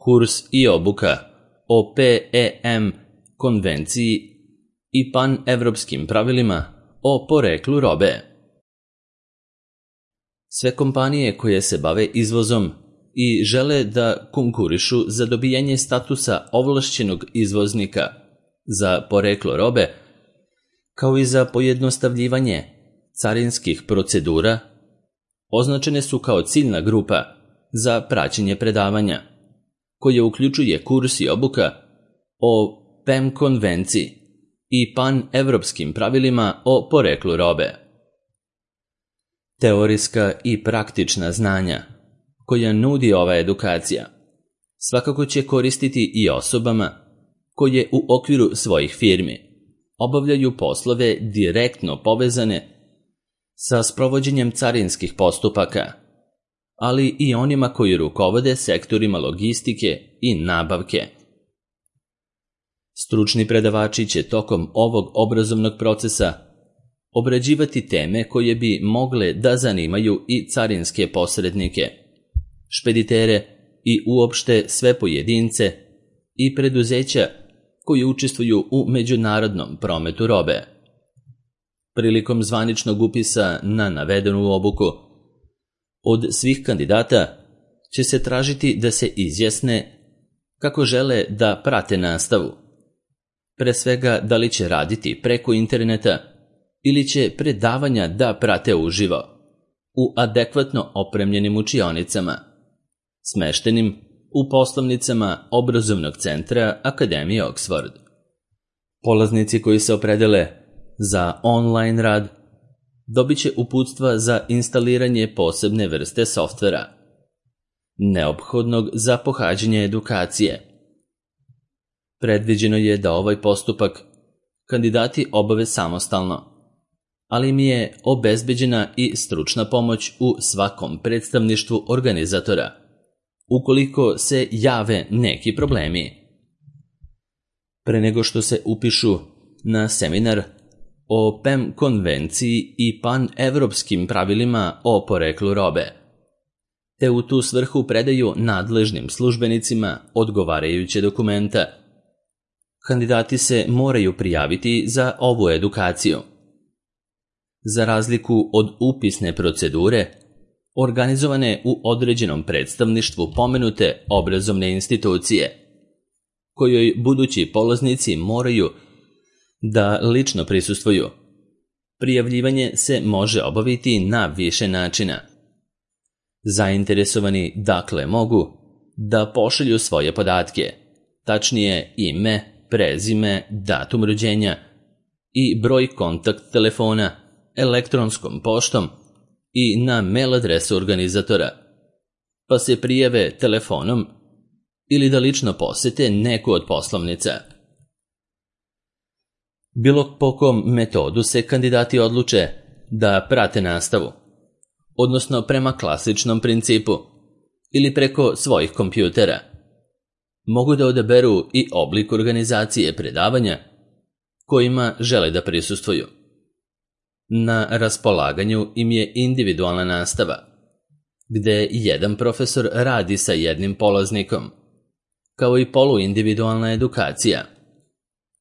kurs i obuka o PEM konvenciji i panevropskim pravilima o poreklu robe. Sve kompanije koje se bave izvozom i žele da konkurišu za dobijanje statusa ovlašćenog izvoznika za poreklo robe, kao i za pojednostavljivanje carinskih procedura, označene su kao ciljna grupa za praćenje predavanja, koje uključuje kurs i obuka o PEM konvenciji i panevropskim pravilima o poreklu robe. Teorijska i praktična znanja koja nudi ova edukacija svakako će koristiti i osobama koje u okviru svojih firmi obavljaju poslove direktno povezane sa sprovođenjem carinskih postupaka, ali i onima koji rukovode sektorima logistike i nabavke. Stručni predavači će tokom ovog obrazovnog procesa obrađivati teme koje bi mogle da zanimaju i carinske posrednike, špeditere i uopšte sve pojedince i preduzeća koji učestvuju u međunarodnom prometu robe. Prilikom zvaničnog upisa na navedenu obuku, od svih kandidata će se tražiti da se izjasne kako žele da prate nastavu. Pre svega da li će raditi preko interneta ili će predavanja da prate uživo u adekvatno opremljenim učionicama, smeštenim u poslovnicama obrazovnog centra Akademije Oxford. Polaznici koji se opredele za online rad dobit će uputstva za instaliranje posebne vrste softvera, neophodnog za pohađanje edukacije. Predviđeno je da ovaj postupak kandidati obave samostalno, ali im je obezbeđena i stručna pomoć u svakom predstavništvu organizatora, ukoliko se jave neki problemi. Pre nego što se upišu na seminar o PEM konvenciji i panevropskim pravilima o poreklu robe, te u tu svrhu predaju nadležnim službenicima odgovarajuće dokumenta, kandidati se moraju prijaviti za ovu edukaciju. Za razliku od upisne procedure, organizovane u određenom predstavništvu pomenute obrazovne institucije, kojoj budući polaznici moraju da lično prisustvuju, prijavljivanje se može obaviti na više načina. Zainteresovani dakle mogu da pošalju svoje podatke, tačnije ime, prezime, datum rođenja i broj kontakt telefona elektronskom poštom i na mail adresu organizatora, pa se prijave telefonom ili da lično posete neku od poslovnica. Bilo po kom metodu se kandidati odluče da prate nastavu, odnosno prema klasičnom principu ili preko svojih kompjutera, mogu da odaberu i oblik organizacije predavanja kojima žele da prisustvuju. Na raspolaganju im je individualna nastava, gde jedan profesor radi sa jednim polaznikom, kao i poluindividualna edukacija,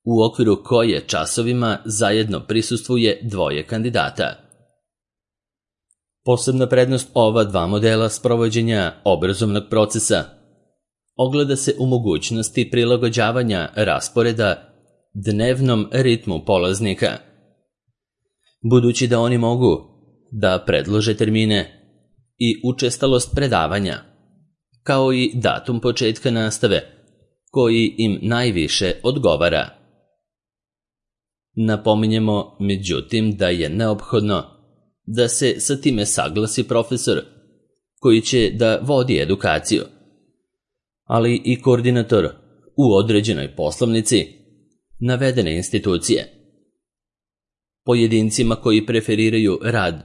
u okviru koje časovima zajedno prisustvuje dvoje kandidata. Posebna prednost ova dva modela sprovođenja obrazovnog procesa ogleda se u mogućnosti prilagođavanja rasporeda dnevnom ritmu polaznika, budući da oni mogu da predlože termine i učestalost predavanja, kao i datum početka nastave, koji im najviše odgovara. Napominjemo, međutim, da je neophodno da se sa time saglasi profesor koji će da vodi edukaciju, ali i koordinator u određenoj poslovnici navedene institucije. Pojedincima koji preferiraju rad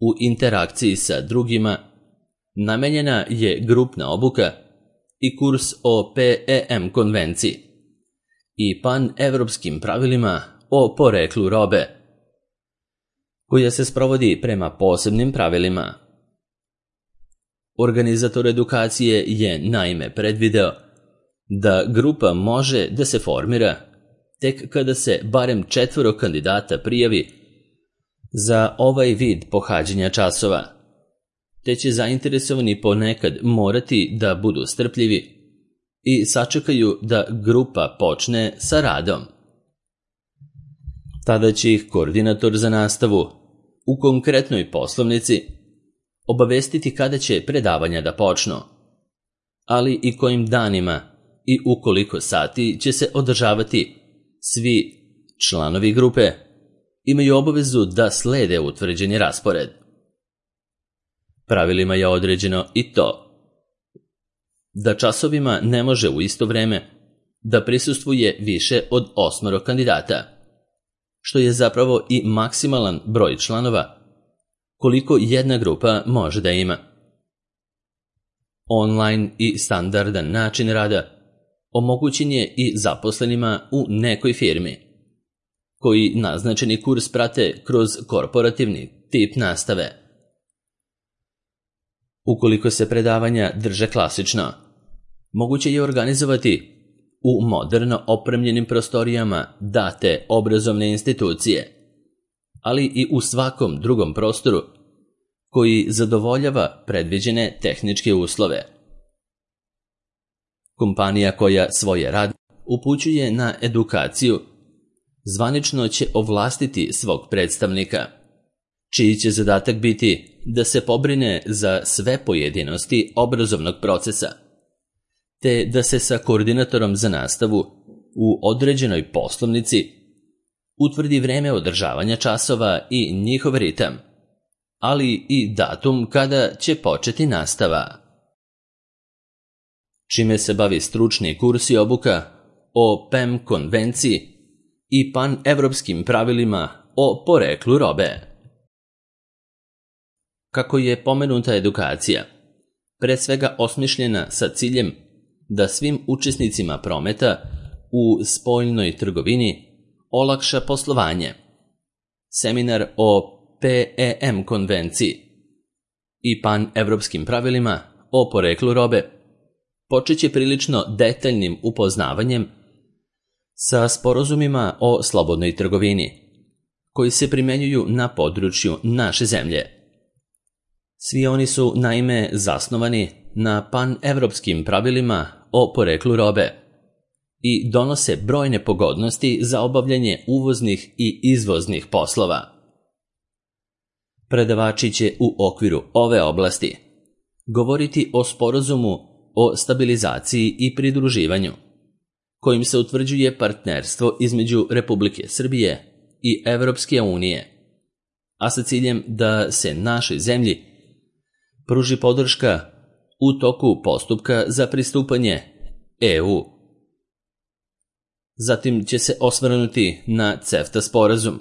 u interakciji sa drugima namenjena je grupna obuka i kurs o PEM konvenciji i panevropskim pravilima o poreklu robe, koja se sprovodi prema posebnim pravilima. Organizator edukacije je naime predvideo da grupa može da se formira tek kada se barem 4 kandidata prijavi za ovaj vid pohađanja časova, te će zainteresovani ponekad morati da budu strpljivi i sačekaju da grupa počne sa radom. Tada će ih koordinator za nastavu u konkretnoj poslovnici obavestiti kada će predavanja da počnu, ali i kojim danima i u koliko sati će se održavati. Svi članovi grupe imaju obavezu da slede utvrđeni raspored. Pravilima je određeno i to da časovima ne može u isto vreme da prisustvuje više od 8 kandidata, što je zapravo i maksimalan broj članova koliko jedna grupa može da ima. Online i standardan način rada omogućen je i zaposlenima u nekoj firmi, koji naznačeni kurs prate kroz korporativni tip nastave. Ukoliko se predavanja drže klasično, moguće je organizovati u moderno opremljenim prostorijama date obrazovne institucije, ali i u svakom drugom prostoru koji zadovoljava predviđene tehničke uslove. Kompanija koja svoje rad upućuje na edukaciju zvanično će ovlastiti svog predstavnika, čiji će zadatak biti da se pobrine za sve pojedinosti obrazovnog procesa, te da se sa koordinatorom za nastavu u određenoj poslovnici utvrdi vreme održavanja časova i njihov ritam, ali i datum kada će početi nastava. Čime se bavi stručni kurs i obuka o PEM konvenciji i pan-evropskim pravilima o poreklu robe. Kako je pomenuta edukacija pre svega osmišljena sa ciljem da svim učesnicima prometa u spoljnoj trgovini olakša poslovanje, seminar o PEM konvenciji i pan-evropskim pravilima o poreklu robe počeće prilično detaljnim upoznavanjem sa sporazumima o slobodnoj trgovini, koji se primenjuju na području naše zemlje. Svi oni su naime zasnovani na pan-evropskim pravilima o poreklu robe i donose brojne pogodnosti za obavljanje uvoznih i izvoznih poslova. Predavači će u okviru ove oblasti govoriti o sporazumu o stabilizaciji i pridruživanju, kojim se utvrđuje partnerstvo između Republike Srbije i Evropske unije, a sa ciljem da se našoj zemlji pruži podrška u toku postupka za pristupanje EU. Zatim će se osvrnuti na CEFTA sporazum,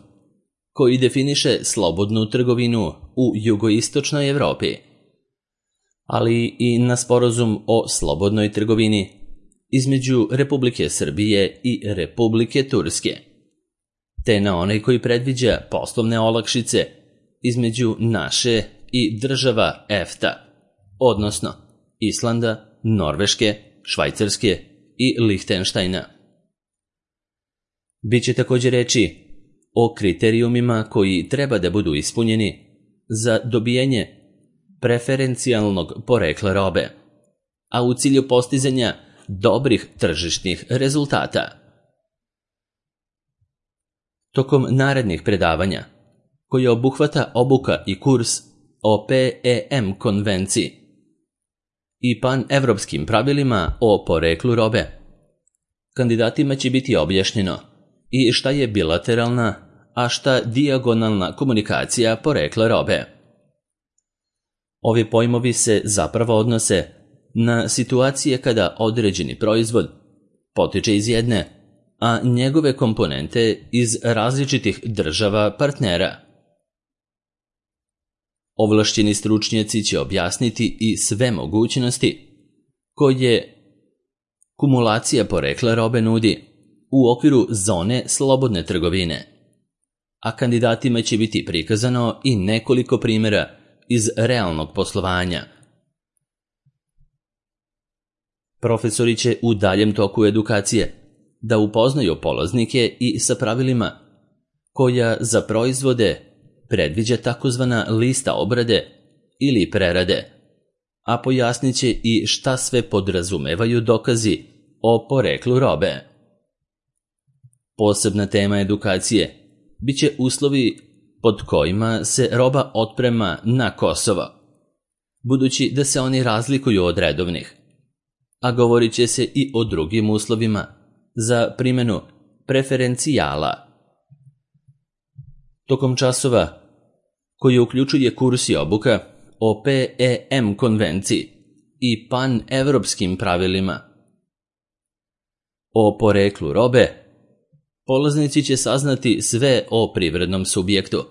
koji definiše slobodnu trgovinu u jugoistočnoj Evropi, ali i na sporazum o slobodnoj trgovini između Republike Srbije i Republike Turske, te na onaj koji predviđa poslovne olakšice između naše i država EFTA, odnosno Islanda, Norveške, Švajcarske i Lihtenštajna. Biće također reči o kriterijumima koji treba da budu ispunjeni za dobijanje preferencijalnog porekla robe, a u cilju postizanja dobrih tržišnih rezultata. Tokom narednih predavanja, koje obuhvata obuka i kurs o PEM konvenciji i pan-evropskim pravilima o poreklu robe, kandidatima će biti objašnjeno i šta je bilateralna, a šta dijagonalna komunikacija porekla robe. Ovi pojmovi se zapravo odnose na situacije kada određeni proizvod potiče iz jedne, a njegove komponente iz različitih država partnera. Ovlašćeni stručnjaci će objasniti i sve mogućnosti koje kumulacija porekla robe nudi u okviru zone slobodne trgovine, a kandidatima će biti prikazano i nekoliko primjera iz realnog poslovanja. Profesori će u daljem toku edukacije da upoznaju polaznike i sa pravilima koja za proizvode predviđa takozvana lista obrade ili prerade, a pojasnit će i šta sve podrazumevaju dokazi o poreklu robe. Posebna tema edukacije biće uslovi pod kojima se roba otprema na Kosovo, budući da se oni razlikuju od redovnih, a govorit će se i o drugim uslovima za primjenu preferencijala. Tokom časova, koji uključuje kurs i obuka o PEM konvenciji i pan-evropskim pravilima o poreklu robe, polaznici će saznati sve o privrednom subjektu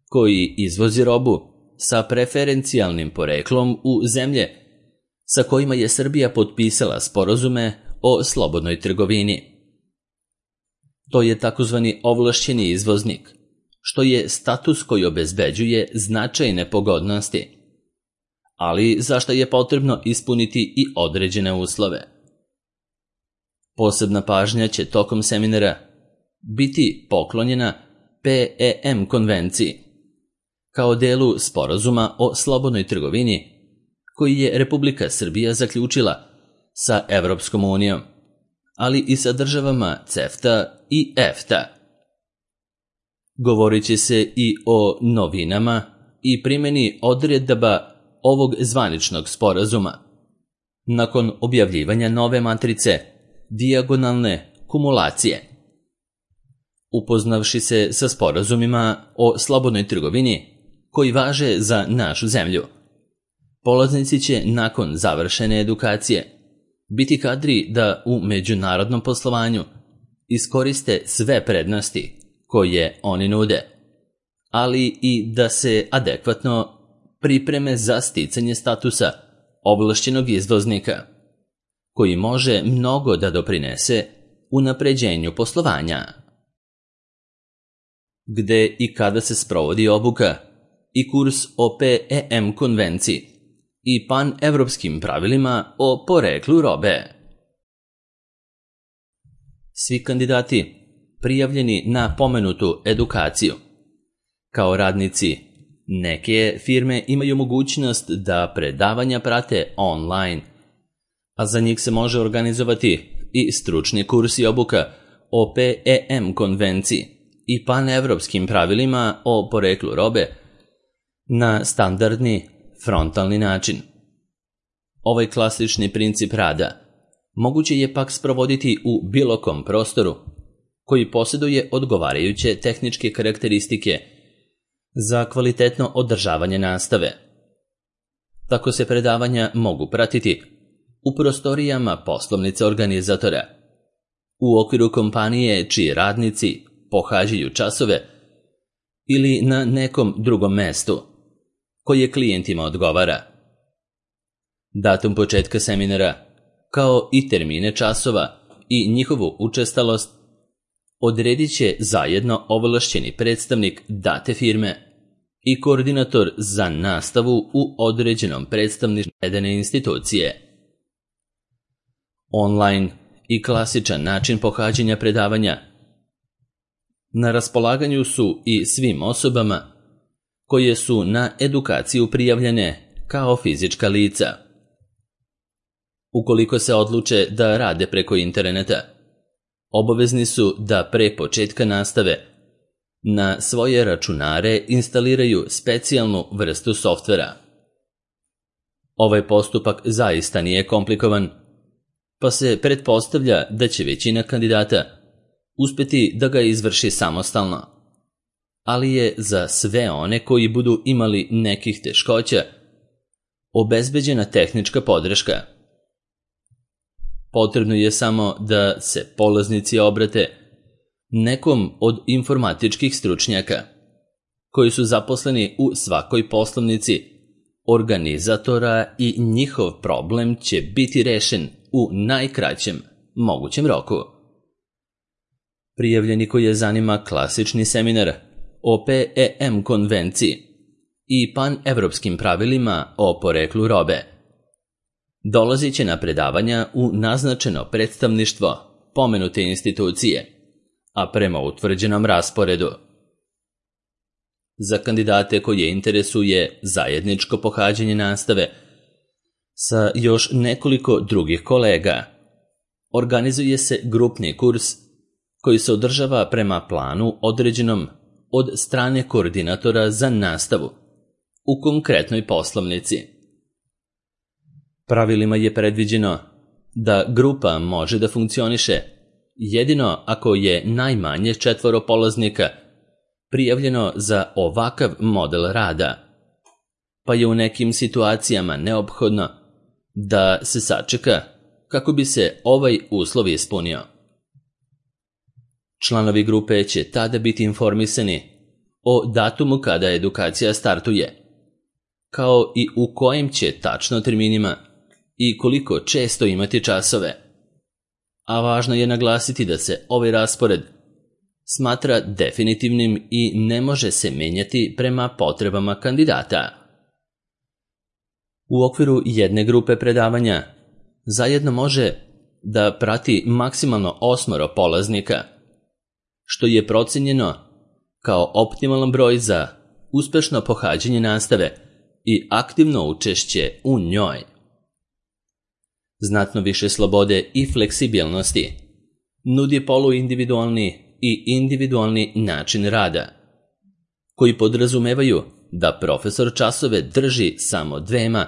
koji izvozi robu sa preferencijalnim poreklom u zemlje sa kojima je Srbija potpisala sporazume o slobodnoj trgovini. To je takozvani ovlašćeni izvoznik, što je status koji obezbeđuje značajne pogodnosti, ali za što je potrebno ispuniti i određene uslove. Posebna pažnja će tokom seminara biti poklonjena PEM konvenciji, kao delu sporazuma o slobodnoj trgovini koji je Republika Srbija zaključila sa Evropskom unijom, ali i sa državama CEFTA i EFTA. Govorit će se i o novinama i primjeni odredaba ovog zvaničnog sporazuma nakon objavljivanja nove matrice dijagonalne kumulacije. Upoznavši se sa sporazumima o slobodnoj trgovini koji važe za našu zemlju, polaznici će nakon završene edukacije biti kadri da u međunarodnom poslovanju iskoriste sve prednosti koje oni nude, ali i da se adekvatno pripreme za sticanje statusa ovlašćenog izvoznika, koji može mnogo da doprinese unapređenju poslovanja. Gde i kada se sprovodi obuka i kurs o PEM konvenciji i pan-evropskim pravilima o poreklu robe. Svi kandidati prijavljeni na pomenutu edukaciju kao radnici neke firme imaju mogućnost da predavanja prate online, a za njih se može organizovati i stručni kurs i obuka o PEM konvenciji i panevropskim pravilima o poreklu robe na standardni frontalni način. Ovaj klasični princip rada moguće je pak sprovoditi u bilo kom prostoru koji posjeduje odgovarajuće tehničke karakteristike za kvalitetno održavanje nastave. Tako se predavanja mogu pratiti u prostorijama poslovnice organizatora, u okviru kompanije čiji radnici pohađaju časove ili na nekom drugom mestu koje klijentima odgovara. Datum početka seminara, kao i termine časova i njihovu učestalost, odredit će zajedno ovlašćeni predstavnik date firme i koordinator za nastavu u određenom predstavništvu navedene institucije. Online i klasičan način pohađanja predavanja na raspolaganju su i svim osobama koje su na edukaciju prijavljene kao fizička lica. Ukoliko se odluče da rade preko interneta, obavezni su da pre početka nastave na svoje računare instaliraju specijalnu vrstu softvera. Ovaj postupak zaista nije komplikovan, pa se pretpostavlja da će većina kandidata uspjeti da ga izvrši samostalno, ali je za sve one koji budu imali nekih teškoća obezbeđena tehnička podrška. Potrebno je samo da se polaznici obrate nekom od informatičkih stručnjaka koji su zaposleni u svakoj poslovnici organizatora i njihov problem će biti rešen u najkraćem mogućem roku. Prijavljeni koji je zanima klasični seminar o PEM konvenciji i panevropskim pravilima o poreklu robe dolazit će na predavanja u naznačeno predstavništvo pomenute institucije, a prema utvrđenom rasporedu. Za kandidate koje interesuje zajedničko pohađanje nastave sa još nekoliko drugih kolega, organizuje se grupni kurs koji se održava prema planu određenom od strane koordinatora za nastavu u konkretnoj poslovnici. Pravilima je predviđeno da grupa može da funkcioniše jedino ako je najmanje 4 polaznika prijavljeno za ovakav model rada, pa je u nekim situacijama neophodno da se sačeka kako bi se ovaj uslov ispunio. Članovi grupe će tada biti informisani o datumu kada edukacija startuje, kao i u kojim će tačno terminima i koliko često imati časove. A važno je naglasiti da se ovaj raspored smatra definitivnim i ne može se menjati prema potrebama kandidata. U okviru jedne grupe predavanja zajedno može da prati maksimalno 8 polaznika, što je procenjeno kao optimalan broj za uspešno pohađanje nastave i aktivno učešće u njoj. Znatno više slobode i fleksibilnosti nudi poluindividualni i individualni način rada, koji podrazumevaju da profesor časove drži samo 2,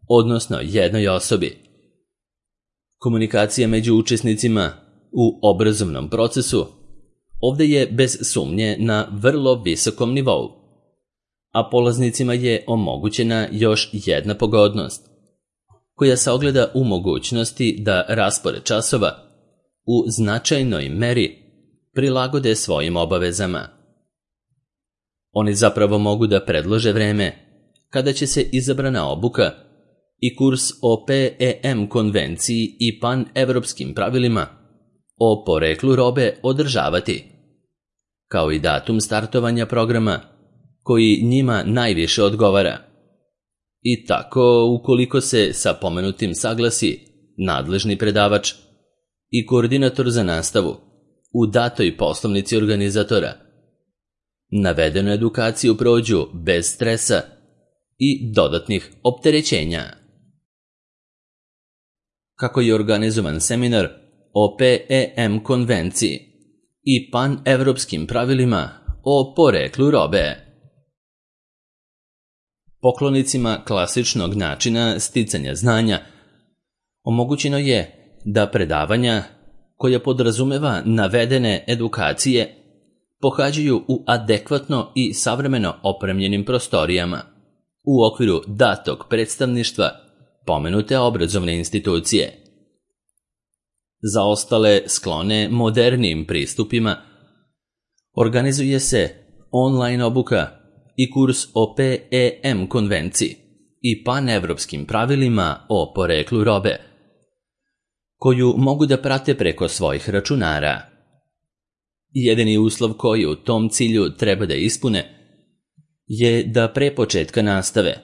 odnosno 1 osobi. Komunikacija među učesnicima u obrazovnom procesu ovde je bez sumnje na vrlo visokom nivou, a polaznicima je omogućena još jedna pogodnost, koja se ogleda u mogućnosti da raspored časova u značajnoj meri prilagode svojim obavezama. Oni zapravo mogu da predlože vreme kada će se izabrana obuka i kurs o PEM konvenciji i pan-evropskim pravilima o poreklu robe održavati, kao i datum startovanja programa koji njima najviše odgovara. I tako, ukoliko se sa pomenutim saglasi nadležni predavač i koordinator za nastavu u datoj poslovnici organizatora, navedenu edukaciju prođu bez stresa i dodatnih opterećenja. Kako je organizovan seminar o PEM konvenciji i pan-evropskim pravilima o poreklu robe? Poklonicima klasičnog načina sticanja znanja omogućeno je da predavanja koja podrazumeva navedene edukacije pohađaju u adekvatno i savremeno opremljenim prostorijama u okviru datog predstavništva pomenute obrazovne institucije. Za ostale sklone modernijim pristupima organizuje se online obuka i kurs o PEM konvenciji i panevropskim pravilima o poreklu robe, koju mogu da prate preko svojih računara. Jedini uslov koji u tom cilju treba da ispune je da pre početka nastave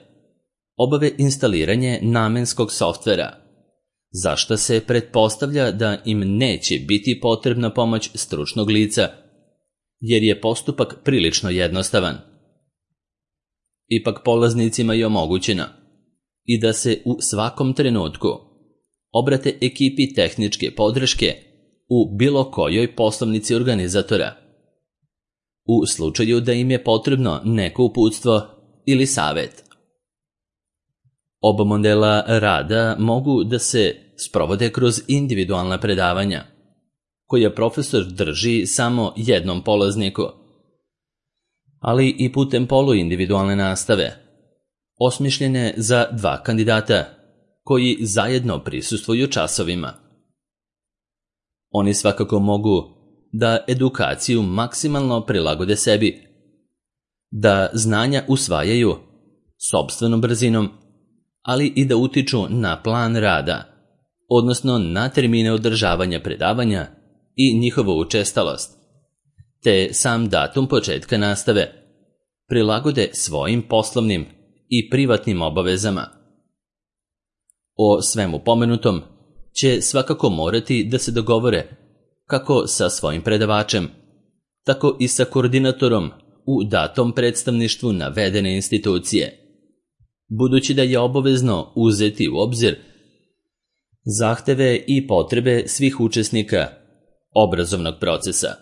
obave instaliranje namenskog softvera, za što se pretpostavlja da im neće biti potrebna pomoć stručnog lica, jer je postupak prilično jednostavan. Ipak polaznicima je omogućeno i da se u svakom trenutku obrate ekipi tehničke podrške u bilo kojoj poslovnici organizatora, u slučaju da im je potrebno neko uputstvo ili savet. Oba modela rada mogu da se sprovode kroz individualna predavanja, koja profesor drži samo jednom polazniku, ali i putem poluindividualne nastave, osmišljene za 2 kandidata koji zajedno prisustvuju časovima. Oni svakako mogu da edukaciju maksimalno prilagode sebi, da znanja usvajaju sopstvenom brzinom, ali i da utiču na plan rada, odnosno na termine održavanja predavanja i njihovu učestalost, te sam datum početka nastave prilagode svojim poslovnim i privatnim obavezama. O svemu pomenutom će svakako morati da se dogovore kako sa svojim predavačem, tako i sa koordinatorom u datom predstavništvu navedene institucije, budući da je obavezno uzeti u obzir zahteve i potrebe svih učesnika obrazovnog procesa.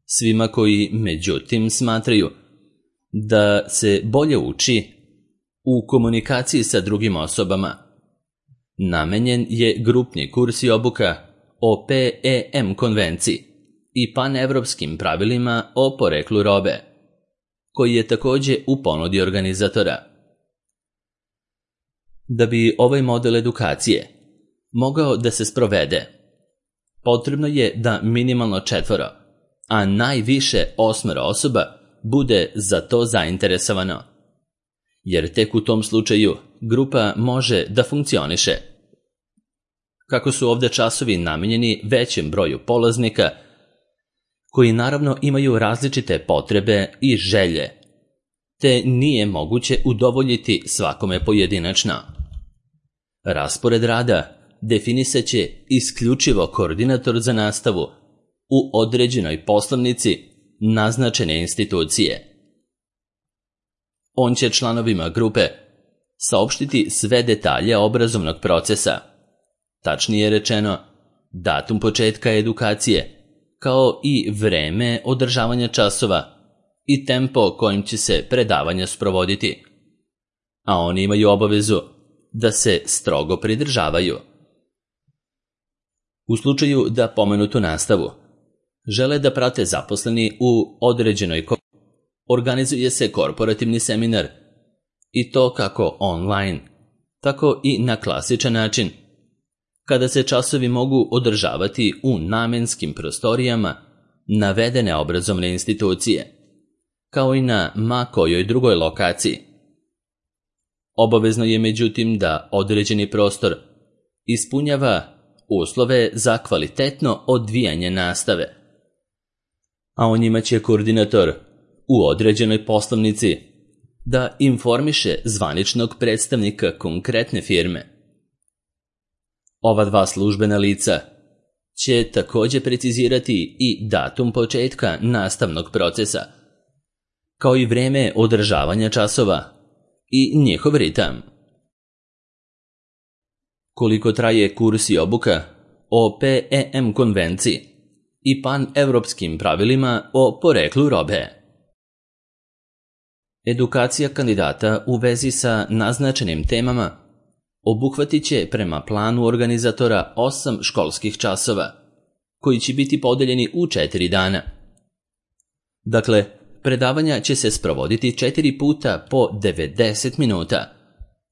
Svima koji, međutim, smatraju da se bolje uči u komunikaciji sa drugim osobama, namenjen je grupni kurs i obuka o PEM konvenciji i panevropskim pravilima o poreklu robe, koji je također u ponudi organizatora. Da bi ovaj model edukacije mogao da se sprovede, potrebno je da minimalno 4, a najviše 8 osoba bude za to zainteresovano, jer tek u tom slučaju grupa može da funkcioniše. Kako su ovdje časovi namijenjeni većem broju polaznika, koji naravno imaju različite potrebe i želje, te nije moguće udovoljiti svakome pojedinačno. Raspored rada definisat će isključivo koordinator za nastavu u određenoj poslovnici naznačene institucije. On će članovima grupe saopštiti sve detalje obrazovnog procesa, tačnije rečeno datum početka edukacije, kao i vreme održavanja časova i tempo kojim će se predavanja sprovoditi, a oni imaju obavezu da se strogo pridržavaju. U slučaju da pomenutu nastavu žele da prate zaposleni u određenoj organizuje se korporativni seminar, i to kako online, tako i na klasičan način, kada se časovi mogu održavati u namenskim prostorijama navedene obrazovne institucije, kao i na ma kojoj drugoj lokaciji. Obavezno je međutim da određeni prostor ispunjava uslove za kvalitetno odvijanje nastave, a o njima će koordinator u određenoj poslovnici da informiše zvaničnog predstavnika konkretne firme. Ova 2 službena lica će također precizirati i datum početka nastavnog procesa, kao i vreme održavanja časova i njihov ritam. Koliko traje kurs i obuka o PEM konvenciji i panevropskim pravilima o poreklu robe. Edukacija kandidata u vezi sa naznačenim temama obuhvatit će prema planu organizatora 8 školskih časova, koji će biti podeljeni u 4 dana. Dakle, predavanja će se sprovoditi 4 puta po 90 minuta,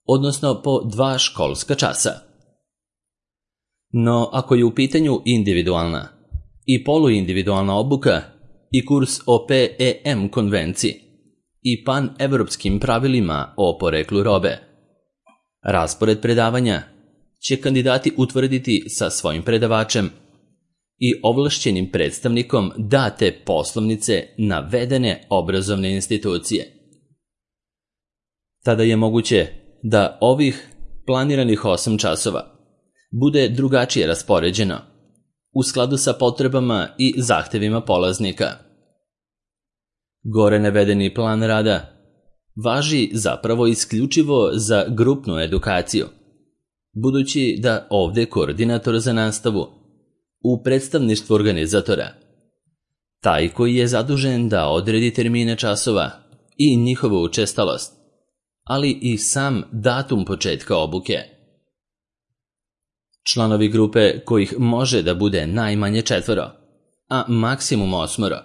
odnosno po 2 školska časa. No, ako je u pitanju individualna i poluindividualna obuka i kurs o PEM konvenciji i panevropskim pravilima o poreklu robe, raspored predavanja će kandidati utvrditi sa svojim predavačem i ovlašćenim predstavnikom date poslovnice navedene obrazovne institucije. Tada je moguće da ovih planiranih 8 časova bude drugačije raspoređeno, u skladu sa potrebama i zahtevima polaznika. Gore navedeni plan rada važi zapravo isključivo za grupnu edukaciju, budući da ovdje koordinator za nastavu u predstavništvu organizatora, taj koji je zadužen da odredi termine časova i njihovu učestalost, ali i sam datum početka obuke. Članovi grupe, kojih može da bude najmanje 4, a maksimum 8,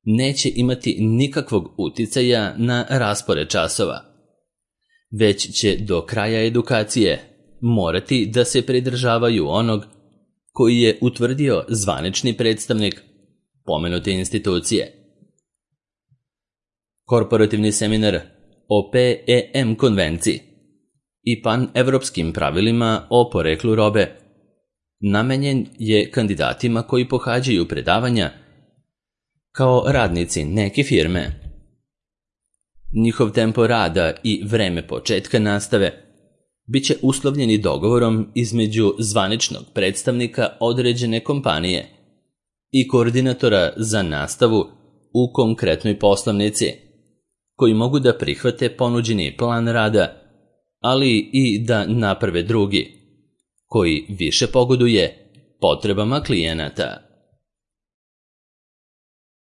neće imati nikakvog uticaja na raspored časova, već će do kraja edukacije morati da se pridržavaju onog koji je utvrdio zvanični predstavnik pomenute institucije. Korporativni seminar o PEM konvenciji i panevropskim pravilima o poreklu robe namenjen je kandidatima koji pohađaju predavanja kao radnici neke firme. Njihov tempo rada i vreme početka nastave biće uslovljeni dogovorom između zvaničnog predstavnika određene kompanije i koordinatora za nastavu u konkretnoj poslovnici, koji mogu da prihvate ponuđeni plan rada, ali i da naprave drugi, koji više pogoduje potrebama klijenata.